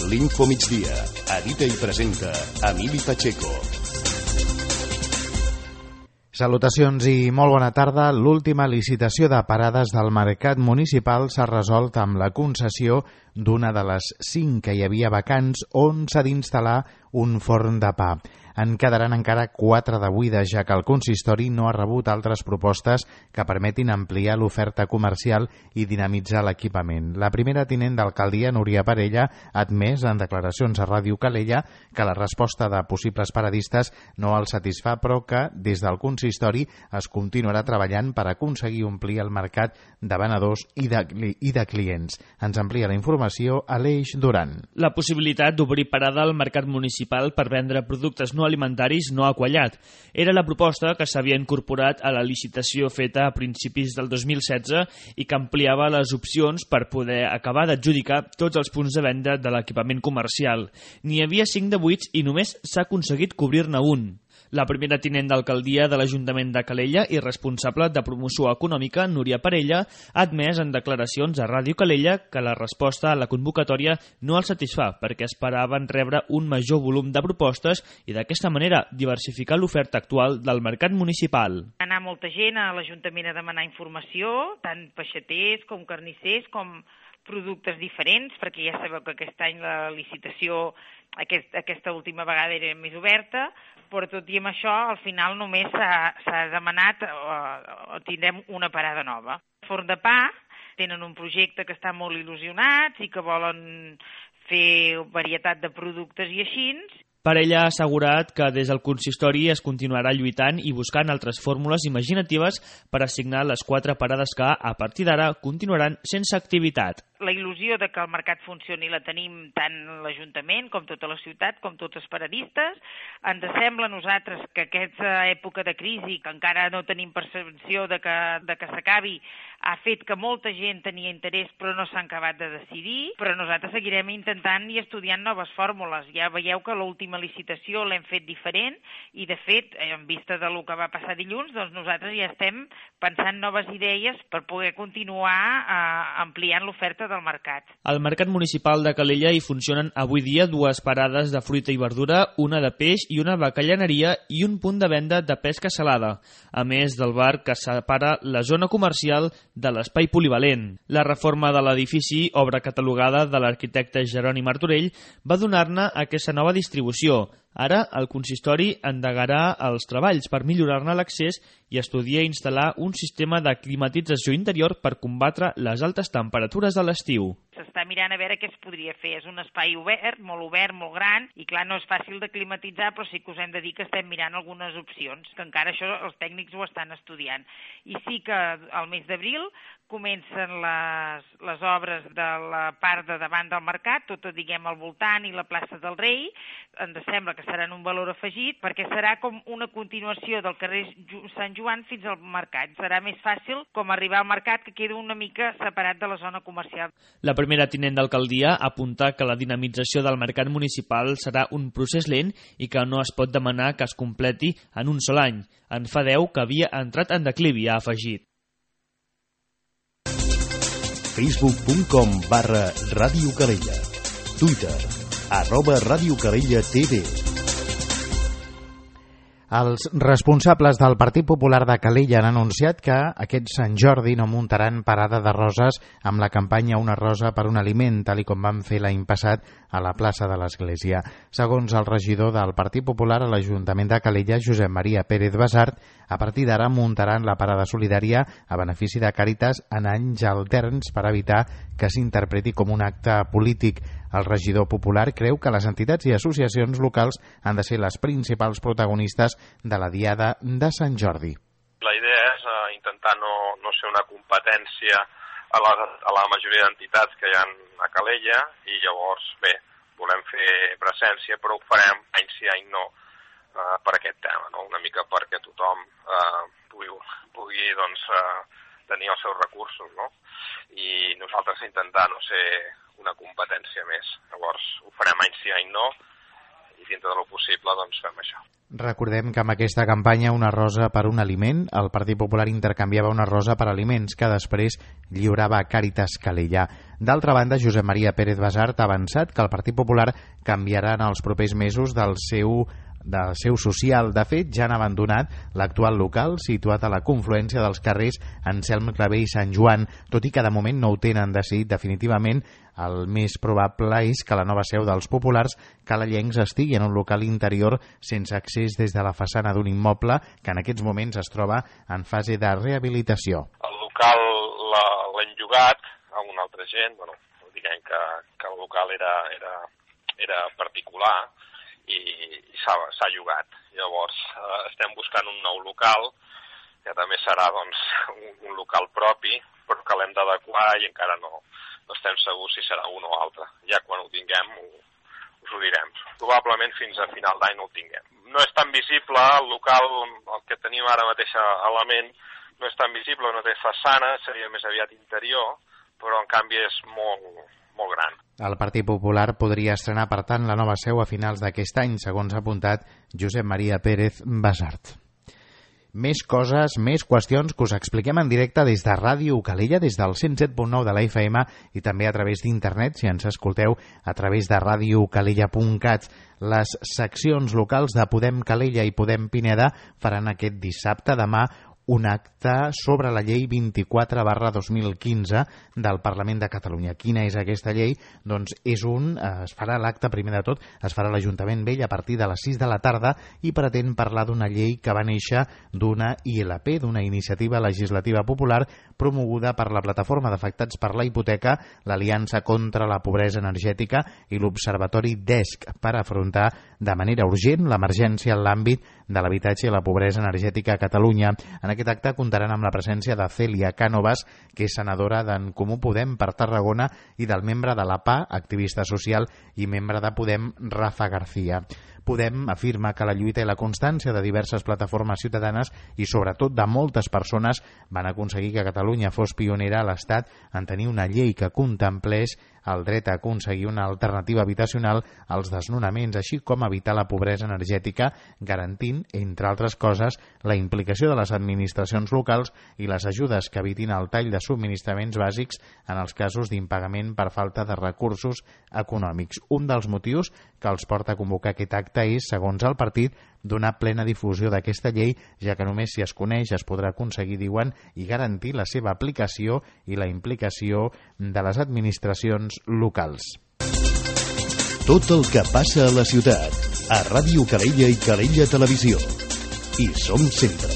l'Info Migdia. Edita i presenta Emili Pacheco. Salutacions i molt bona tarda. L'última licitació de parades del mercat municipal s'ha resolt amb la concessió d'una de les 5 que hi havia vacants on s'ha d'instal·lar un forn de pa. En quedaran encara 4 de buides, ja que el consistori no ha rebut altres propostes que permetin ampliar l'oferta comercial i dinamitzar l'equipament. La primera tinent d'alcaldia, Núria Parella, ha admès en declaracions a Ràdio Calella que la resposta de possibles paradistes no el satisfà, però que des del consistori es continuarà treballant per aconseguir omplir el mercat de venedors i de clients. Ens amplia la informació Aleix Duran. La possibilitat d'obrir parada al mercat municipal per vendre productes no alimentaris no ha quallat. Era la proposta que s'havia incorporat a la licitació feta a principis del 2016 i que ampliava les opcions per poder acabar d'adjudicar tots els punts de venda de l'equipament comercial. N'hi havia 5 de buits i només s'ha aconseguit cobrir-ne un. La primera tinent d'alcaldia de l'Ajuntament de Calella i responsable de promoció econòmica, Núria Parella, ha admès en declaracions a Ràdio Calella que la resposta a la convocatòria no el satisfà perquè esperaven rebre un major volum de propostes i d'aquesta manera diversificar l'oferta actual del mercat municipal. Anar molta gent a l'Ajuntament a demanar informació, tant peixaters com carnissers com productes diferents, perquè ja sabeu que aquest any la licitació aquesta última vegada era més oberta, però tot i amb això, al final només s'ha demanat o tindrem una parada nova. Forn de pa, tenen un projecte que estan molt il·lusionats i que volen fer varietat de productes i així. Parella ha assegurat que des del consistori es continuarà lluitant i buscant altres fórmules imaginatives per assignar les 4 parades que, a partir d'ara, continuaran sense activitat. La il·lusió de que el mercat funcioni la tenim tant l'Ajuntament com tota la ciutat, com tots els paradistes. Ens sembla a nosaltres que aquesta època de crisi, que encara no tenim percepció de que s'acabi, ha fet que molta gent tenia interès però no s'han acabat de decidir, però nosaltres seguirem intentant i estudiant noves fórmules. Ja veieu que l'última licitació l'hem fet diferent i, de fet, en vista del que va passar dilluns, doncs nosaltres ja estem pensant noves idees per poder continuar ampliant l'oferta del mercat. Al mercat municipal de Calella hi funcionen avui dia 2 parades de fruita i verdura, una de peix i una bacallaneria i un punt de venda de pesca salada, a més del bar que separa la zona comercial de l'espai polivalent. La reforma de l'edifici, obra catalogada de l'arquitecte Jeroni Martorell, va donar-ne aquesta nova distribució. Ara, el consistori endegarà els treballs per millorar-ne l'accés i estudiar i instal·lar un sistema de climatització interior per combatre les altes temperatures de l'estiu. S'està mirant a veure què es podria fer. És un espai obert, molt gran, i clar, no és fàcil de climatitzar, però sí que us hem de dir que estem mirant algunes opcions, que encara això els tècnics ho estan estudiant. I sí que al mes d'abril comencen les obres de la part de davant del mercat, tot al voltant i la plaça del Rei. Ens sembla que seran un valor afegit perquè serà com una continuació del carrer Sant Joan fins al mercat. Serà més fàcil com arribar al mercat, que queda una mica separat de la zona comercial. La primera tinent d'alcaldia apunta que la dinamització del mercat municipal serà un procés lent i que no es pot demanar que es completi en un sol any. En fa 10 que havia entrat en declivi, ha afegit. Facebook.com/Ràdio Calella. Twitter @Ràdio Calella TV. Els responsables del Partit Popular de Calella han anunciat que aquest Sant Jordi no muntaran parada de roses amb la campanya Una rosa per un aliment, tal com van fer l'any passat a la plaça de l'Església. Segons el regidor del Partit Popular a l'Ajuntament de Calella, Josep Maria Pérez Basart, a partir d'ara muntaran la parada solidària a benefici de Càritas en anys alterns per evitar que s'interpreti com un acte polític. El regidor popular creu que les entitats i associacions locals han de ser les principals protagonistes de la Diada de Sant Jordi. La idea és intentar no ser una competència a la majoria d'entitats que hi ha a Calella i llavors, bé, volem fer presència, però ho farem any sí, any no, per aquest tema, no? Una mica perquè tothom pugui tenir els seus recursos, no? I nosaltres intentar no ser una competència més. Llavors ho farem any sí, any no, dintre del possible doncs fem això. Recordem que amb aquesta campanya Una rosa per un aliment, el Partit Popular intercanviava una rosa per aliments que després lliurava a Càritas Calella. D'altra banda, Josep Maria Pérez Basart ha avançat que el Partit Popular canviarà en els propers mesos del seu social. De fet, ja han abandonat l'actual local situat a la confluència dels carrers Anselm Clavé i Sant Joan, tot i que de moment no ho tenen decidit definitivament. El més probable és que la nova seu dels populars calellencs estigui en un local interior sense accés des de la façana d'un immoble que en aquests moments es troba en fase de rehabilitació. El local l'hem llogat a una altra gent, diguem que el local era particular i s'ha llogat. Llavors estem buscant un nou local que també serà un local propi, però que l'hem d'adequar i encara no estem segurs si serà un o altre. Ja quan ho tinguem us ho direm. Probablement fins a final d'any no ho tinguem. No és tan visible el local, el que tenim ara mateix a la ment, no és tan visible, no té façana, seria més aviat interior, però en canvi és molt gran. El Partit Popular podria estrenar, per tant, la nova seu a finals d'aquest any, segons ha apuntat Josep Maria Pérez Basart. Més coses, més qüestions que us expliquem en directe des de Ràdio Calella, des del 107.9 de la FM i també a través d'internet, si ens escolteu a través de radiocalella.cat. Les seccions locals de Podem Calella i Podem Pineda faran aquest dissabte, demà, un acte sobre la llei 24/2015 del Parlament de Catalunya. Quina és aquesta llei? Doncs es farà l'acte, primer de tot, es farà a l'Ajuntament Vell a partir de les 6 de la tarda i pretén parlar d'una llei que va néixer d'una ILP, d'una iniciativa legislativa popular promoguda per la Plataforma d'Afectats per la Hipoteca, l'Aliança contra la Pobresa Energètica i l'Observatori DESC per afrontar de manera urgent l'emergència en l'àmbit de l'habitatge i la pobresa energètica a Catalunya. En aquest acte comptaran amb la presència de Cèlia Cànovas, que és senadora d'en Comú Podem per Tarragona, i del membre de la PA, activista social, i membre de Podem, Rafa García. Podem afirma que la lluita i la constància de diverses plataformes ciutadanes i sobretot de moltes persones van aconseguir que Catalunya fos pionera a l'Estat en tenir una llei que contemplés el dret a aconseguir una alternativa habitacional als desnonaments, així com evitar la pobresa energètica, garantint, entre altres coses, la implicació de les administracions locals i les ajudes que evitin el tall de subministraments bàsics en els casos d'impagament per falta de recursos econòmics. Un dels motius que els porta a convocar aquest acte és, segons el partit, donar plena difusió d'aquesta llei, ja que només si es coneix es podrà aconseguir, diuen, i garantir la seva aplicació i la implicació de les administracions locals. Tot el que passa a la ciutat, a Ràdio Calella i Calella Televisió. Hi som sempre.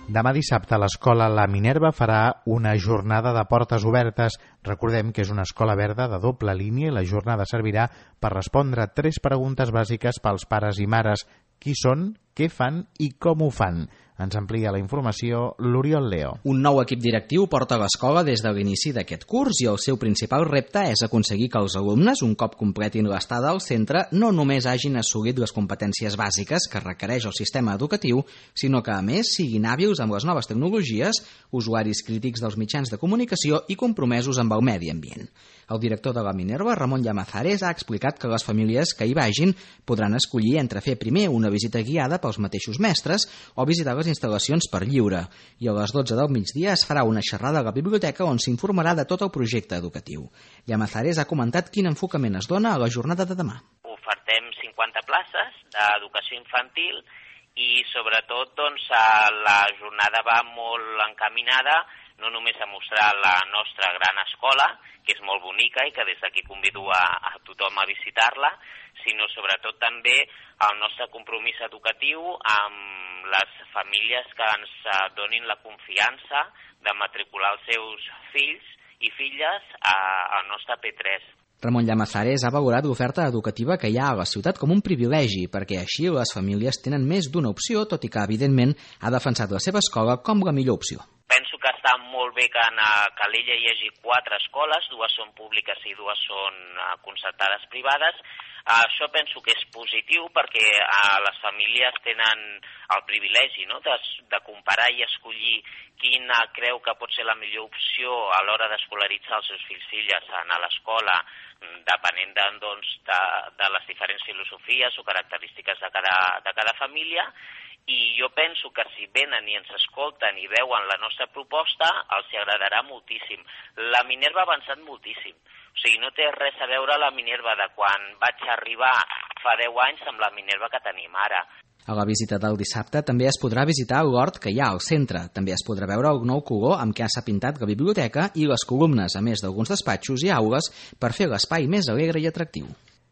Demà dissabte l'escola La Minerva farà una jornada de portes obertes. Recordem que és una escola verda de doble línia i la jornada servirà per respondre 3 preguntes bàsiques pels pares i mares. Qui són, què fan i com ho fan? Ens amplia la informació l'Oriol Leo. Un nou equip directiu porta l'escola des de l'inici d'aquest curs i el seu principal repte és aconseguir que els alumnes, un cop completin l'estada al centre, no només hagin assolit les competències bàsiques que requereix el sistema educatiu, sinó que, a més, siguin hàbils amb les noves tecnologies, usuaris crítics dels mitjans de comunicació i compromesos amb el medi ambient. El director de la Minerva, Ramon Llamazares, ha explicat que les famílies que hi vagin podran escollir entre fer primer una visita guiada pels mateixos mestres o visitar les instal·lacions per lliure. I a les 12 del migdia es farà una xerrada a la biblioteca on s'informarà de tot el projecte educatiu. Llamazares ha comentat quin enfocament es dona a la jornada de demà. Ofertem 50 places d'educació infantil i sobretot la jornada va molt encaminada no només a mostrar la nostra gran escola, que és molt bonica i que des d'aquí convido a tothom a visitar-la, sinó sobretot també el nostre compromís educatiu amb les famílies que ens donin la confiança de matricular els seus fills i filles al nostre P3. Ramon Llamazares ha valorat l'oferta educativa que hi ha a la ciutat com un privilegi, perquè així les famílies tenen més d'una opció, tot i que, evidentment, ha defensat la seva escola com la millor opció. Penso que està molt bé que a Calella hi hagi 4 escoles, 2 són públiques i 2 són concertades privades. Això penso que és positiu perquè les famílies tenen el privilegi, no?, de comparar i escollir quina creu que pot ser la millor opció a l'hora d'escolaritzar els seus fills i filles a l'escola, depenent de les diferents filosofies o característiques de cada família. I jo penso que si venen i ens escolten i veuen la nostra proposta, els agradarà moltíssim. La Minerva ha avançat moltíssim. O sigui, no té res a veure la Minerva de quan vaig arribar fa 10 anys amb la Minerva que tenim ara. A la visita del dissabte també es podrà visitar l'hort que hi ha al centre. També es podrà veure el nou color amb què s'ha pintat la biblioteca i les columnes, a més d'alguns despatxos i aules, per fer l'espai més alegre i atractiu.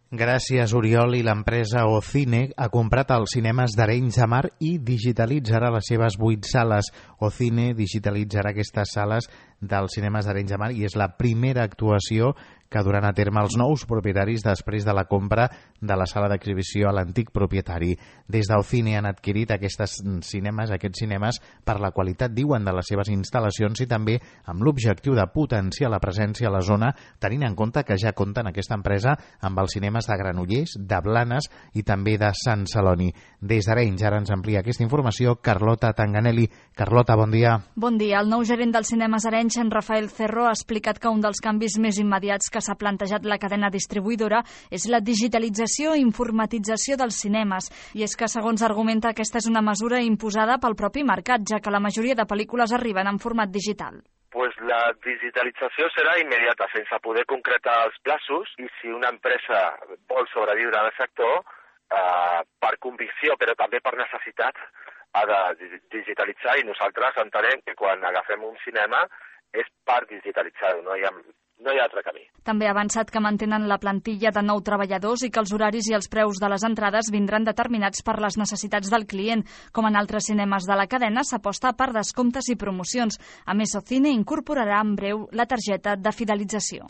Gràcies, Oriol, i l'empresa Ocine ha comprat els cinemes d'Arenys de Mar i digitalitzarà les seves 8 sales. Ocine digitalitzarà aquestes sales dels cinemes d'Arenys de Mar i és la primera actuació que duran a terme els nous propietaris després de la compra de la sala d'exhibició a l'antic propietari. Des d'Ocine han adquirit aquests cinemes per la qualitat, diuen, de les seves instal·lacions i també amb l'objectiu de potenciar la presència a la zona, tenint en compte que ja compten aquesta empresa amb els cinemes de Granollers, de Blanes i també de Sant Celoni. Des d'Arenys ara ens amplia aquesta informació Carlota Tanganelli. Carlota, bon dia. Bon dia. El nou gerent dels cinemes Arenys, en Rafael Cerro, ha explicat que un dels canvis més immediats que s'ha plantejat la cadena distribuïdora és la digitalització i informatització dels cinemes. I és que, segons argumenta, aquesta és una mesura imposada pel propi mercat, ja que la majoria de pel·lícules arriben en format digital. Pues la digitalització serà immediata, sense poder concretar els plaços, i si una empresa vol sobreviure en el sector, per convicció, però també per necessitat, ha de digitalitzar, i nosaltres entenem que quan agafem un cinema és per digitalitzar-ho, no hi ha altre camí. També ha avançat que mantenen la plantilla de 9 treballadors i que els horaris i els preus de les entrades vindran determinats per les necessitats del client. Com en altres cinemes de la cadena, s'aposta per descomptes i promocions. A més, Ocine incorporarà en breu la targeta de fidelització.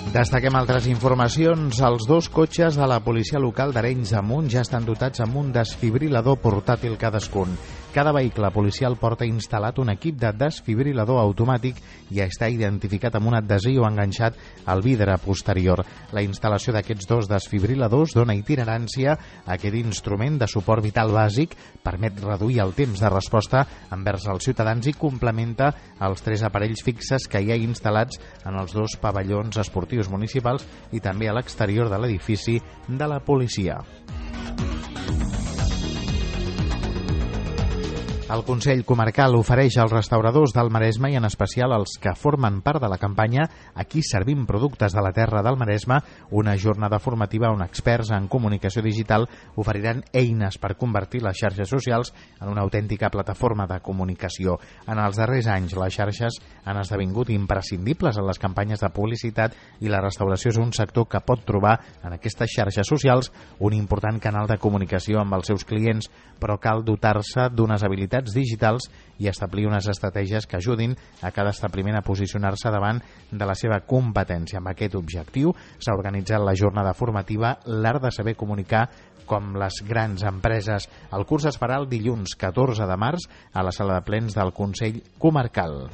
Destaquem altres informacions. Els 2 cotxes de la policia local d'Arenys de Munt ja estan dotats amb un desfibrilador portàtil cadascun. Cada vehicle policial porta instal·lat un equip de desfibrilador automàtic i està identificat amb un adhesiu enganxat al vidre posterior. La instal·lació d'aquests 2 desfibriladors dona itinerància a aquest instrument de suport vital bàsic, permet reduir el temps de resposta envers els ciutadans i complementa els 3 aparells fixes que hi ha instal·lats en els 2 pavellons esportius municipals i també a l'exterior de l'edifici de la policia. El Consell Comarcal ofereix als restauradors del Maresme i en especial als que formen part de la campanya Aquí servim productes de la terra del Maresme una jornada formativa on experts en comunicació digital oferiran eines per convertir les xarxes socials en una autèntica plataforma de comunicació. En els darrers anys les xarxes han esdevingut imprescindibles en les campanyes de publicitat i la restauració és un sector que pot trobar en aquestes xarxes socials un important canal de comunicació amb els seus clients, però cal dotar-se d'unes habilitats digitals i establir unes estratègies que ajudin a cada establiment a posicionar-se davant de la seva competència. Amb aquest objectiu s'ha organitzat la jornada formativa L'art de saber comunicar com les grans empreses. El curs es farà el dilluns 14 de març a la sala de plens del Consell Comarcal.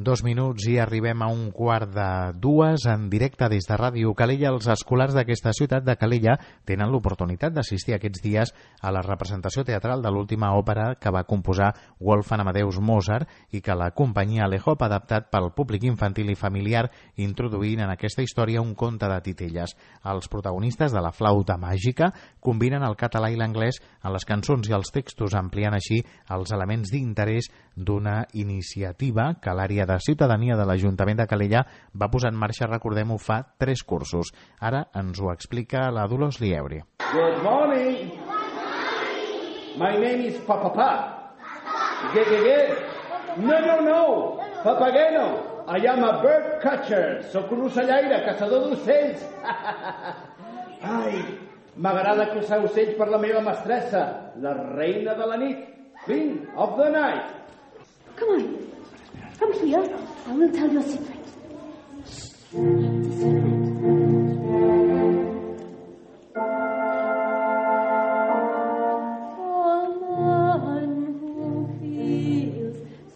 2 minuts i arribem a 1:45 en directe des de Ràdio Calella. Els escolars d'aquesta ciutat de Calella tenen l'oportunitat d'assistir aquests dies a la representació teatral de l'última òpera que va composar Wolfgang Amadeus Mozart i que la companyia Alehop ha adaptat pel públic infantil i familiar, introduint en aquesta història un conte de titelles. Els protagonistes de la flauta màgica combinen el català i l'anglès en les cançons i els textos, ampliant així els elements d'interès d'una iniciativa que l'àrea de ciutadania de l'Ajuntament de Calella va posar en marxa, recordem-ho, fa 3 cursos. Ara ens ho explica la Dolors Liebre. Good morning. My name is Papapá. No. Papageno. I am a bird catcher. Soc un ocellaire, caçador d'ocells. Ai, m'agrada caçar ocells per la meva mestressa, la reina de la nit, Queen of the Night. Come on. Come here. I will tell you a secret. Shh. It's a secret.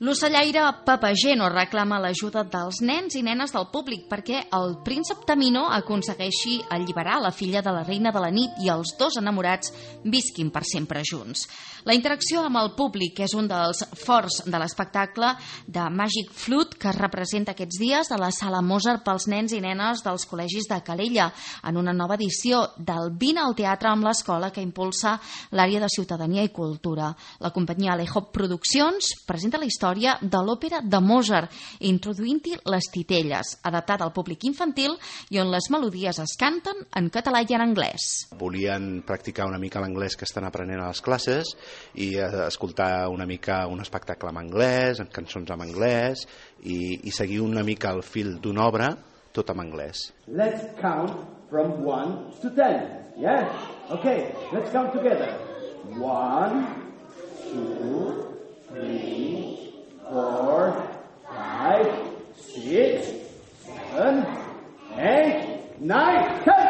L'ocellaire Papageno reclama l'ajuda dels nens i nenes del públic perquè el príncep Tamino aconsegueixi alliberar la filla de la reina de la nit i els dos enamorats visquin per sempre junts. La interacció amb el públic és un dels forts de l'espectacle de Magic Flute que es representa aquests dies a la Sala Mozart pels nens i nenes dels col·legis de Calella en una nova edició del Vine al Teatre amb l'Escola que impulsa l'àrea de Ciutadania i Cultura. La companyia Alejo Produccions presenta la història de l'òpera de Mozart, introduint-hi les titelles, adaptada al públic infantil i on les melodies es canten en català i en anglès. Volien practicar una mica l'anglès que estan aprenent a les classes i escoltar una mica un espectacle en anglès, amb cançons en anglès i seguir una mica el fil d'una obra tot en anglès. Let's count from 1 to 10. Yeah? Okay, let's count together. 1, 2, 3, 4, 5, 6, 7, 8, 9, 10.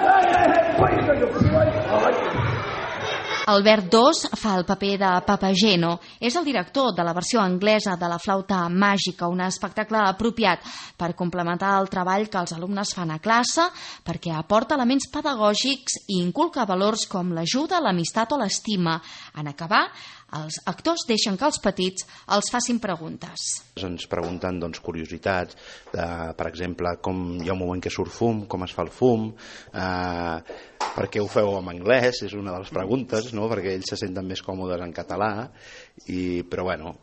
Albert II fa el paper de Papageno. És el director de la versió anglesa de la flauta màgica, un espectacle apropiat per complementar el treball que els alumnes fan a classe, perquè aporta elements pedagògics i inculca valors com l'ajuda, l'amistat o l'estima. En acabar, els actors deixen que els petits els facin preguntes. Ens pregunten curiositats, per exemple, com hi ha un moment que surt fum, com es fa el fum, per què ho feu en anglès, és una de les preguntes, no? Perquè ells se senten més còmodes en català, però bueno,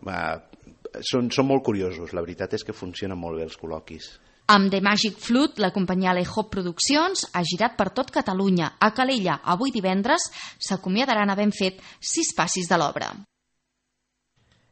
són molt curiosos, la veritat és que funcionen molt bé els col·loquis. Amb The Magic Flute, la companyia Alejo Produccions ha girat per tot Catalunya. A Calella, avui divendres, s'acomiadaran havent fet 6 passis de l'obra.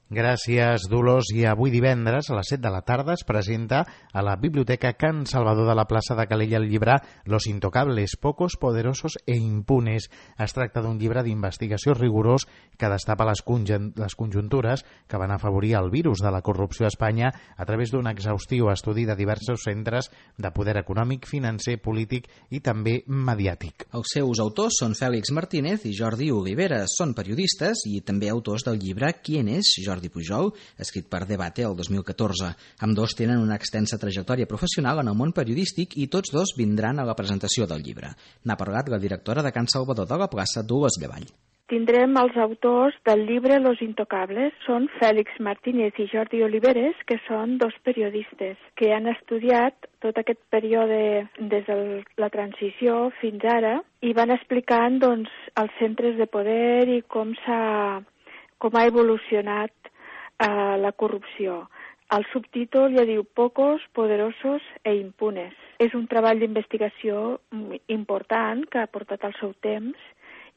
Gràcies, Dolors. I avui divendres a les 7 de la tarda es presenta a la Biblioteca Can Salvador de la plaça de Calella el llibre Los Intocables, Pocos, Poderosos e Impunes. Es tracta d'un llibre d'investigació rigorós que destapa les conjuntures que van afavorir el virus de la corrupció a Espanya a través d'un exhaustiu estudi de diversos centres de poder econòmic, financer, polític i també mediàtic. Els seus autors són Fèlix Martínez i Jordi Oliveres. Són periodistes i també autors del llibre Quién es Jordi Pujol, escrit per Debate el 2014. Ambdós tenen una extensa trajectòria professional en el món periodístic i tots dos vindran a la presentació del llibre. N'ha parlat la directora de Can Salvador de la plaça, Dolors Llevall. Tindrem els autors del llibre Los Intocables. Són Fèlix Martínez i Jordi Oliveres, que són dos periodistes que han estudiat tot aquest període des de la transició fins ara i van explicant els centres de poder i com ha evolucionat la corrupció. El subtítol ja diu Pocos, Poderosos e Impunes. És un treball d'investigació important que ha portat el seu temps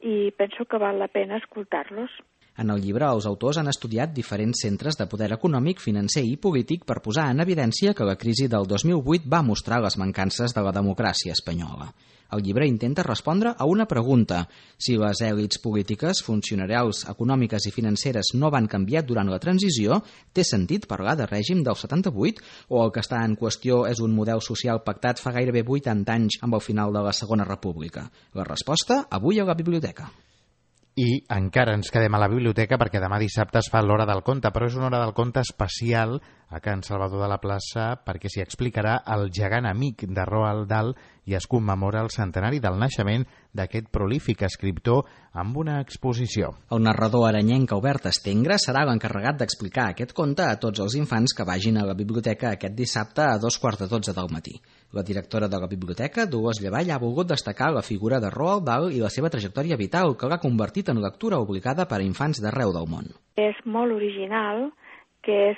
i penso que val la pena escoltar-los. En el llibre, els autors han estudiat diferents centres de poder econòmic, financer i polític per posar en evidència que la crisi del 2008 va mostrar les mancances de la democràcia espanyola. El llibre intenta respondre a una pregunta. Si les èlits polítiques, funcionarials, econòmiques i financeres no van canviar durant la transició, té sentit parlar de règim del 78 o el que està en qüestió és un model social pactat fa gairebé 80 anys amb el final de la Segona República? La resposta, avui a la biblioteca. I encara ens quedem a la biblioteca perquè demà dissabte es fa l'Hora del Conte, però és una Hora del Conte especial a Can Salvador de la plaça perquè s'hi explicarà el gegant amic de Roald Dahl i es commemora el centenari del naixement d'aquest prolífic escriptor amb una exposició. El narrador aranyenc Albert Estengre serà l'encarregat d'explicar aquest conte a tots els infants que vagin a la biblioteca aquest dissabte a 2:45 del matí. La directora de la biblioteca, Dolors Llevall, ha volgut destacar la figura de Roald Dahl i la seva trajectòria vital, que l'ha convertit en lectura obligada per a infants d'arreu del món. És molt original, que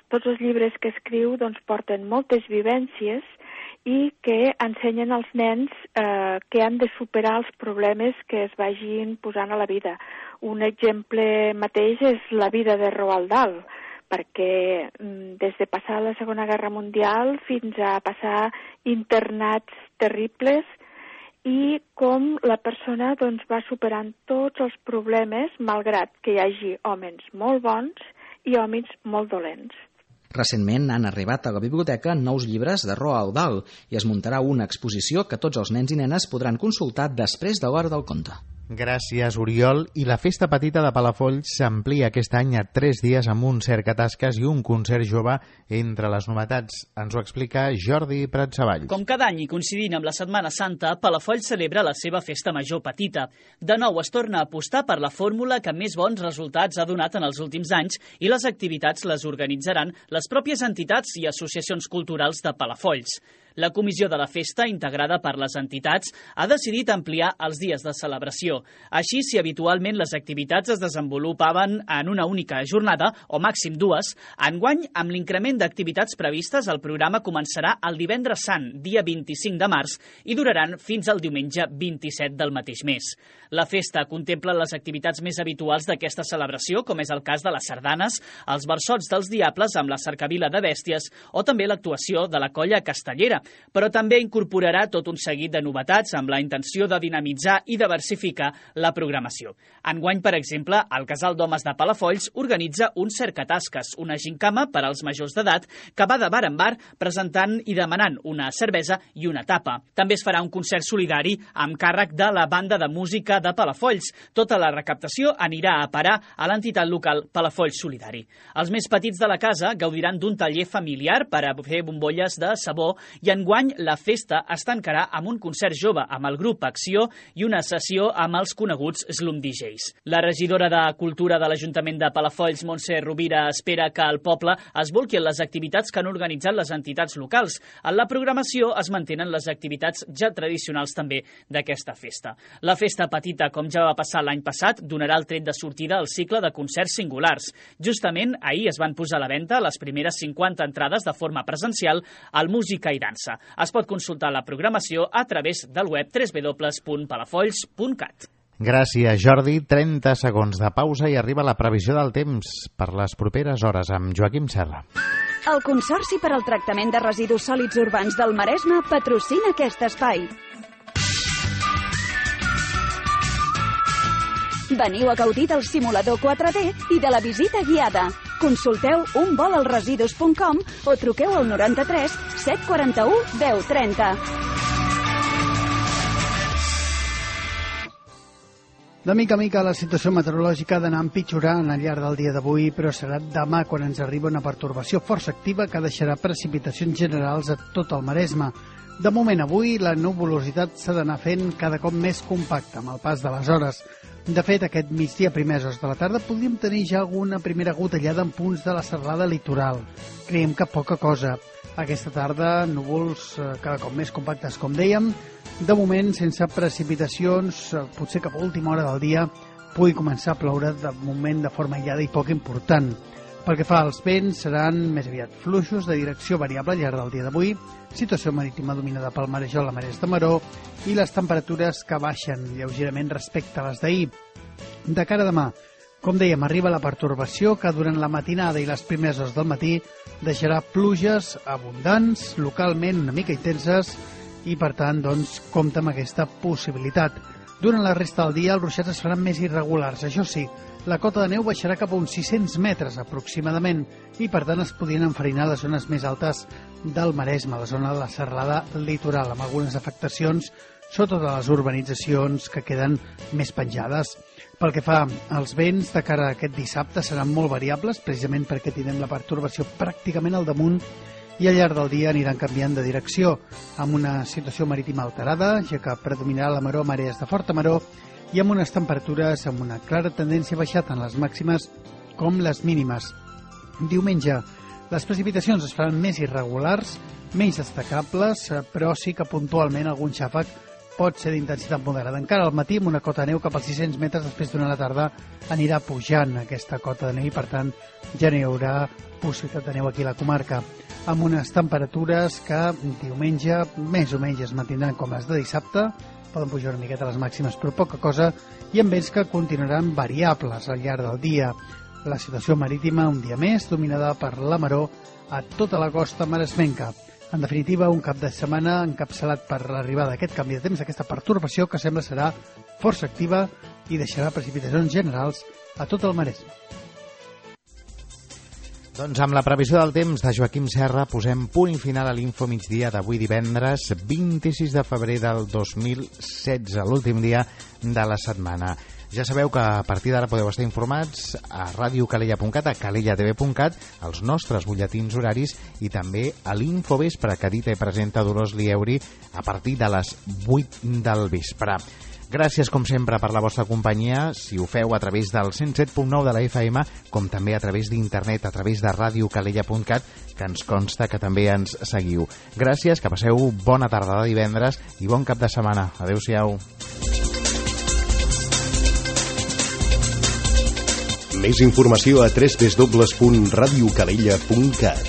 tots els llibres que escriu porten moltes vivències i que ensenyen als nens que han de superar els problemes que es vagin posant a la vida. Un exemple mateix és la vida de Roald Dahl, perquè des de passar la Segona Guerra Mundial fins a passar internats terribles i com la persona va superant tots els problemes, malgrat que hi hagi homes molt bons i hòmins molt dolents. Recentment han arribat a la biblioteca nous llibres de Roald Dahl i es muntarà una exposició que tots els nens i nenes podran consultar després de l'hora del conte. Gràcies, Oriol. I la Festa Petita de Palafolls s'amplia aquest any a 3 dies amb un cercatasques i un concert jove entre les novetats. Ens ho explica Jordi Pratsavalls. Com cada any i coincidint amb la Setmana Santa, Palafolls celebra la seva Festa Major Petita. De nou es torna a apostar per la fórmula que més bons resultats ha donat en els últims anys i les activitats les organitzaran les pròpies entitats i associacions culturals de Palafolls. La comissió de la festa, integrada per les entitats, ha decidit ampliar els dies de celebració. Així, si habitualment les activitats es desenvolupaven en una única jornada, o màxim 2, enguany, amb l'increment d'activitats previstes, el programa començarà el divendres sant, dia 25 de març, i duraran fins al diumenge 27 del mateix mes. La festa contempla les activitats més habituals d'aquesta celebració, com és el cas de les sardanes, els versots dels diables amb la cercavila de bèsties o també l'actuació de la colla castellera, però també incorporarà tot un seguit de novetats amb la intenció de dinamitzar i diversificar la programació. Enguany, per exemple, el Casal d'Homes de Palafolls organitza un cercatasques, una gincama per als majors d'edat que va de bar en bar presentant i demanant una cervesa i una tapa. També es farà un concert solidari amb càrrec de la banda de música de Palafolls. Tota la recaptació anirà a parar a l'entitat local Palafolls Solidari. Els més petits de la casa gaudiran d'un taller familiar per a fer bombolles de sabó i enguany la festa es tancarà amb un concert jove amb el grup Acció i una sessió amb els coneguts Slum DJs. La regidora de Cultura de l'Ajuntament de Palafolls, Montse Rovira, espera que al poble es bolqui en les activitats que han organitzat les entitats locals. En la programació es mantenen les activitats ja tradicionals també d'aquesta festa. La festa petita, com ja va passar l'any passat, donarà el tret de sortida al cicle de concerts singulars. Justament ahir es van posar a la venda les primeres 50 entrades de forma presencial al Música i Dansa. Es pot consultar la programació a través del web www.palafolls.cat. Gràcies, Jordi. 30 segons de pausa i arriba la previsió del temps per les properes hores amb Joaquim Serra. El Consorci per al Tractament de Residus Sòlids Urbans del Maresme patrocina aquest espai. Veniu a gaudir del simulador 4D i de la visita guiada. Consulteu unvolalresidus.com o truqueu al 93 741 1030. De mica a mica la situació meteorològica ha d'anar empitjorant al llarg del dia d'avui, però serà demà quan ens arriba una pertorbació força activa que deixarà precipitacions generals a tot el Maresme. De moment avui la nuvolositat s'ha d'anar fent cada cop més compacta amb el pas de les hores. De fet, aquest migdia, primers hores de la tarda, podríem tenir ja alguna primera gotellada en punts de la serralada litoral. Creiem que poca cosa. Aquesta tarda, núvols cada cop més compactes, com dèiem. De moment, sense precipitacions, potser cap a última hora del dia, pugui començar a ploure de moment de forma aïllada i poc important. Pel que fa als vents, seran més aviat fluixos de direcció variable al llarg del dia d'avui, situació marítima dominada pel marejol a marès de maró i les temperatures que baixen lleugerament respecte a les d'ahir. De cara a demà, com dèiem, arriba la pertorbació que durant la matinada i les primeres hores del matí deixarà pluges abundants, localment una mica intenses i, per tant, doncs, compta amb aquesta possibilitat. Durant la resta del dia, els ruixats es faran més irregulars. Això sí, la cota de neu baixarà cap a uns 600 metres aproximadament i, per tant, es podrien enfarinar les zones més altes del Maresme, la zona de la serralada litoral, amb algunes afectacions sobretot a les urbanitzacions que queden més penjades. Pel que fa als vents, de cara a aquest dissabte seran molt variables, precisament perquè tindrem la pertorbació pràcticament al damunt i al llarg del dia aniran canviant de direcció, amb una situació marítima alterada, ja que predominarà la maró a marees de forta maró, i amb unes temperatures amb una clara tendència a baixar tant les màximes com les mínimes. Diumenge, les precipitacions es faran més irregulars, menys destacables, però sí que puntualment algun xàfec pot ser d'intensitat moderada. Encara al matí, amb una cota de neu cap als 600 metres, després d'una la tarda anirà pujant aquesta cota de neu i, per tant, ja n'hi haurà possibilitat de neu aquí a la comarca, amb unes temperatures que diumenge més o menys es mantindran com les de dissabte, poden pujar una miqueta les màximes però poca cosa, i amb vents que continuaran variables al llarg del dia. La situació marítima un dia més dominada per la maró a tota la costa maresmenca. En definitiva, un cap de setmana encapçalat per l'arribada d'aquest canvi de temps, d'aquesta pertorbació que sembla serà força activa i deixarà precipitacions generals a tot el Maresme. Doncs amb la previsió del temps de Joaquim Serra posem punt i final a l'Info Migdia d'avui divendres 26 de febrer del 2016, l'últim dia de la setmana. Ja sabeu que a partir d'ara podeu estar informats a radiocalella.cat, a calellatv.cat, als nostres butlletins horaris i també a l'Infovespre que edita i presenta Dolors Lieuri a partir de les 8 del vespre. Gràcies, com sempre, per la vostra companyia, si ho feu a través del 107.9 de la FM, com també a través d'internet, a través de radiocalella.cat, que ens consta que també ens seguiu. Gràcies, que passeu bona tarda de divendres i bon cap de setmana. Adéu-siau. Més informació a www.radiocalella.cat.